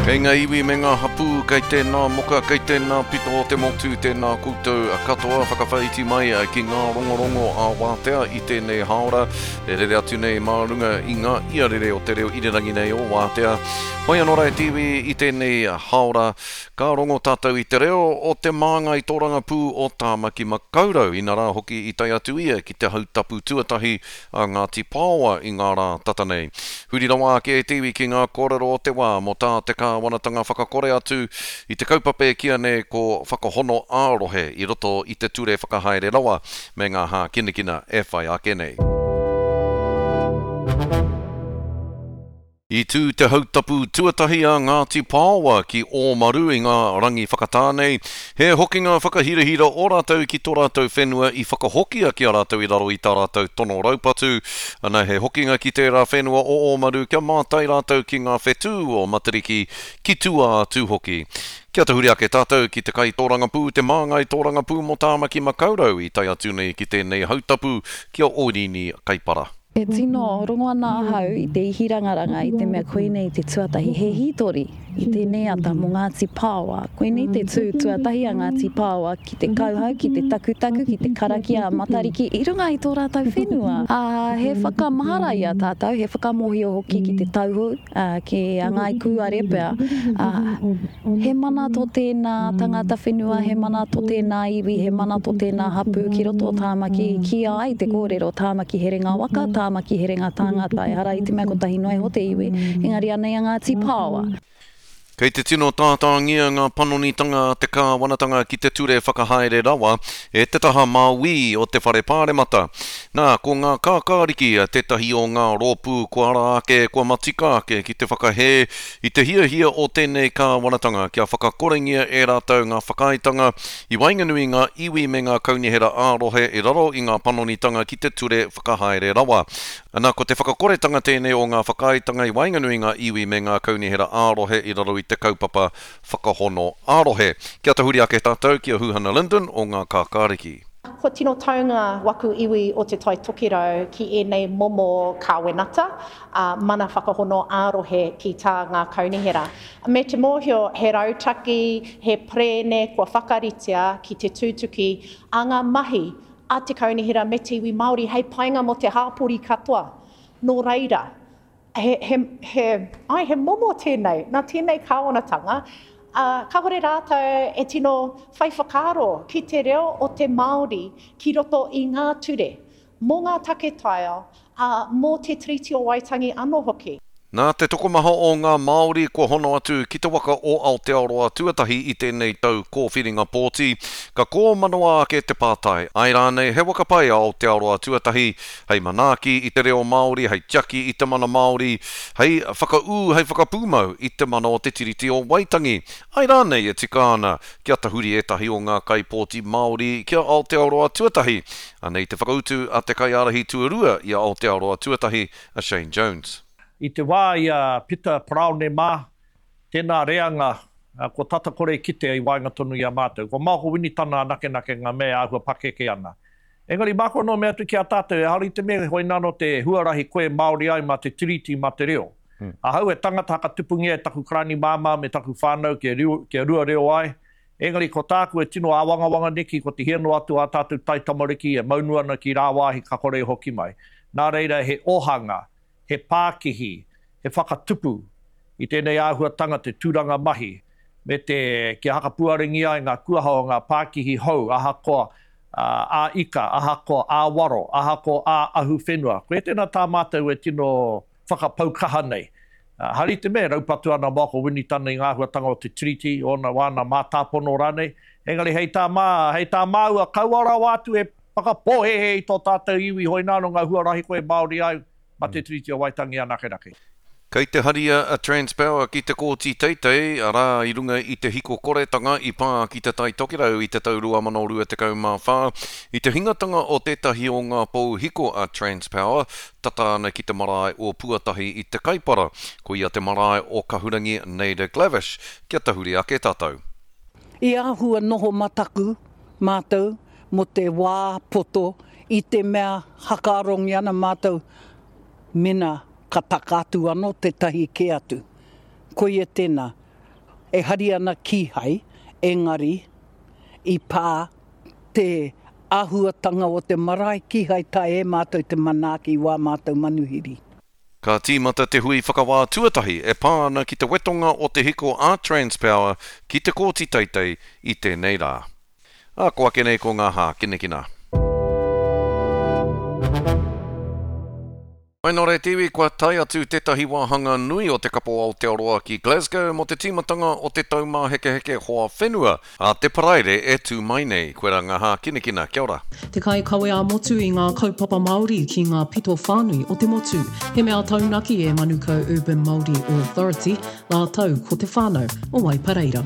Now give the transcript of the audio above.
Kei ngā iwi me ngā hapū, kei tēnā moka, kei tēnā pito o te motu, tēnā koutou katoa, whakawhāiti mai ki ngā rongorongo ā-wātea i tēnei hāora, e rere atu nei mā runga i ngā iarere o te reo irirangi nei o Wātea. Hoi anō rā e te iwi i tēnei hāora, Ka rongo tātou i te reo o te māngai tōrangapū o Tāmaki Makaurau, inarā hoki i tae atu ia ki te hautapu tuatahi a Ngāti Paoa i ngā rā tata nei. Huri rawa ake e te iwi ki ngā kōrero o te wā mō tā te kāwanatanga whakakore atu i te kaupapa e kīa nei ko Whakahono ā-Rohe i roto i te Ture Whakahaere Rawa me ngā hākinakina e whai ake nei. I tū te hautapu tuatahi a Ngāti Paoa ki Ōmaru i ngā rangi whakatā nei. He hokinga whakahirahira o rātou ki tō rātou whenua i whakahokia ki a rātou i raro i tā rātou tono raupatu. Ana he hokinga ki tērā whenua o Ōmaru kia mātai rātou ki ngā whetū o Matariki ki tua atu hoki. Kia tahuri ake tātou ki te kaitōrangapū, te māngai tōrangapū mō Tāmaki Makaurau i tae atu nei ki tēnei hautapu ki a Oirīni Kaipara. E tino rongo ana ahau i te ihirangaranga i te mea koinei te tuatahi, he hītori i tēnei ata mō Ngāti Paoa. Koinei te tū tuatahi a Ngāti Paoa ki te kauhau, ki te takutaku, ki te karakia a Matariki i runga i tō rātou whenua. Ā, he whakamahara i a tātou, he whakamōhio hoki ki te tauhou, ā, ki a Ngāi Kūare pea, ā, He mana tō tēnā tangata whenua, he mana tō tēnā iwi, he mana tō tēnā hapū ki roto o Tāmaki. Kīia ai te kōrero, Tāmaki herenga waka, Tāmaki herenga tāngata. Ehara i te mea kotahi noa iho te iwi, engari anei a Ngāti Pāoa. Kei te tino tātāngia ngā panonitanga a te kāwanatanga ki te ture whakahaere rawa e te taha māuī o te Whare Pāremata. Nā, ko ngā kākāriki tētahi o ngā rōpū kua ara ake, kua matika ake ki te whakahē I te hiahia o tēnei kāwanatanga kia whakakorengia e rātou ngā whakaaetanga i waenganui i ngā iwi me ngā kaunihera ā-rohe i raro i ngā panonitanga ki te ture whakahaere rawa. Ana, ko te whakakoretanga tēnei o ngā whakaaetanga i waenganui i ngā iwi me ngā kaunihera ā-rohe i raro i te kaupapa whakahono ā-rohe. Kia tahuri ake tātou ki a Huhana Lyndon o Ngā Kākāriki. Kua tino taunga waku iwi o Te Tai Tokerau ki ēnei momo kāwenata, ā, mana whakahono ā-rohe ki tā ngā kaunihera. Me te mōhio he rautaki, he perēne kua whakaritea ki te tūtuki a ngā mahi a te kaunihera me te iwi Māori hei painga mō te hāpori katoa. Nō reira, he, he, he, āe, he momo tēnei, nā tēnei kāwanatanga, ā, kāore rātou e tino whai whakaaro ki te reo o te Māori ki roto i ngā ture, mō ngā take taiao, ā, mō te Tiriti o Waitangi anō hoki. Nā te tokomaha o ngā Māori kua hono atu ki te waka o Aotearoa tuatahi i tēnei tau kōwhiringa pōti, ka kōmanawa ake te pātai, āe rānei he waka pai a Aotearoa tuatahi hei manaaki i te reo Māori, hei tiaki i te mana Māori, hei whakaū, hei whakapūmau i te mana o te Tiriti o Waitangi? Āe rānei e tika ana kia tahuri ētahi o ngā kaipōti Māori ki a Aotearoa tuatahi? Anei te whakautu a te kaiārahi tuarua i a Aotearoa tuatahi, a Shane Jones. I te wā i a Pita Paraone mā, tēnā reanga kua tata kore kitea i waenga tonu i a mātou. Ko Maoko Winitana anakenake ngā mea e āhua pakeke ana. Engari māku anō mea atu ki a tātou, ehara i te mea hoinānō te huarahi koe Māori ai mā te Tiriti, mā te reo. Ahau e tangata hakatupungia e taku karani māmā me taku whānau kia rua reo ai, Engari ko tāku e tino āwangawanga neki ko te hia noa atu ā tātou taitamariki e maunu ana ki rāwāhi ka kore e hoki mai. Nā reira he ohanga, he pākihi, he whakatupu i tēnei āhuatanga te tūranga mahi me te kia hakapuarengia ai ngā kuaha o ngā pākihi hou ahakoa ā-ika, ahakoa ā-waro, ahakoa ā-ahuwhenua. Koia tēnā tā mātou e tino whakapau kaha nei. Hari te mea e raupatu ana Michael Winitana i ngā āhuatanga o te Tiriti, ōna wāna mātāpono rānei. Engari hei tā mā, hei tā māua, kaua rawa atu e whakapōhēhē i tō tātou iwi hoināno ngā huarahi koe Māori ai mā te Tiriti o Waitangi anakenake. Kei te haria a Transpower ki te Kōti Teitei, arā, i runga i te hiko koretanga i pā ki Te Tai Tokerau i te tau 2024, i te hingatanga o tētahi o ngā pou hiko a Transpower, tata ana ki te marae o Puatahi i Te Kaipara, koia te marae o Kahurangi Naida Glavish, kia tahuri ake tātou. I āhua noho mataku mātou mō te wā poto i te mea hakaarongi ana mātou mena ka taka atu anō tētahi kē atu. Koia tēnā. E hari ana kīhai, engari i pā te āhuatanga o te marae kīhai taea e mātou te manaaki i wā mātou manuhiri. Ka tīmata te hui whakawā tuatahi e pā ana ki te wetonga o te hiko a Transpower ki te Kōti Teitei i tēnei rā. Ā, ko ake nei ko ngā hākinakina. Mai nō reira te iwi, kua tae atu tētahi wāhanga nui o te Kapo Aotearoa ki Glasgow mō te tīmatanga o te Taumāhekeheke Hoa Whenua ā te Paraire e tū mai nei. Koirā ngā hākinakina. Kia ora. Te kaikawe ā-motu i ngā kaupapa Māori ki ngā pito whānui o te motu. He mea taunaki e Manukau Urban Māori Authority rātou ko te whānau o Waipareira.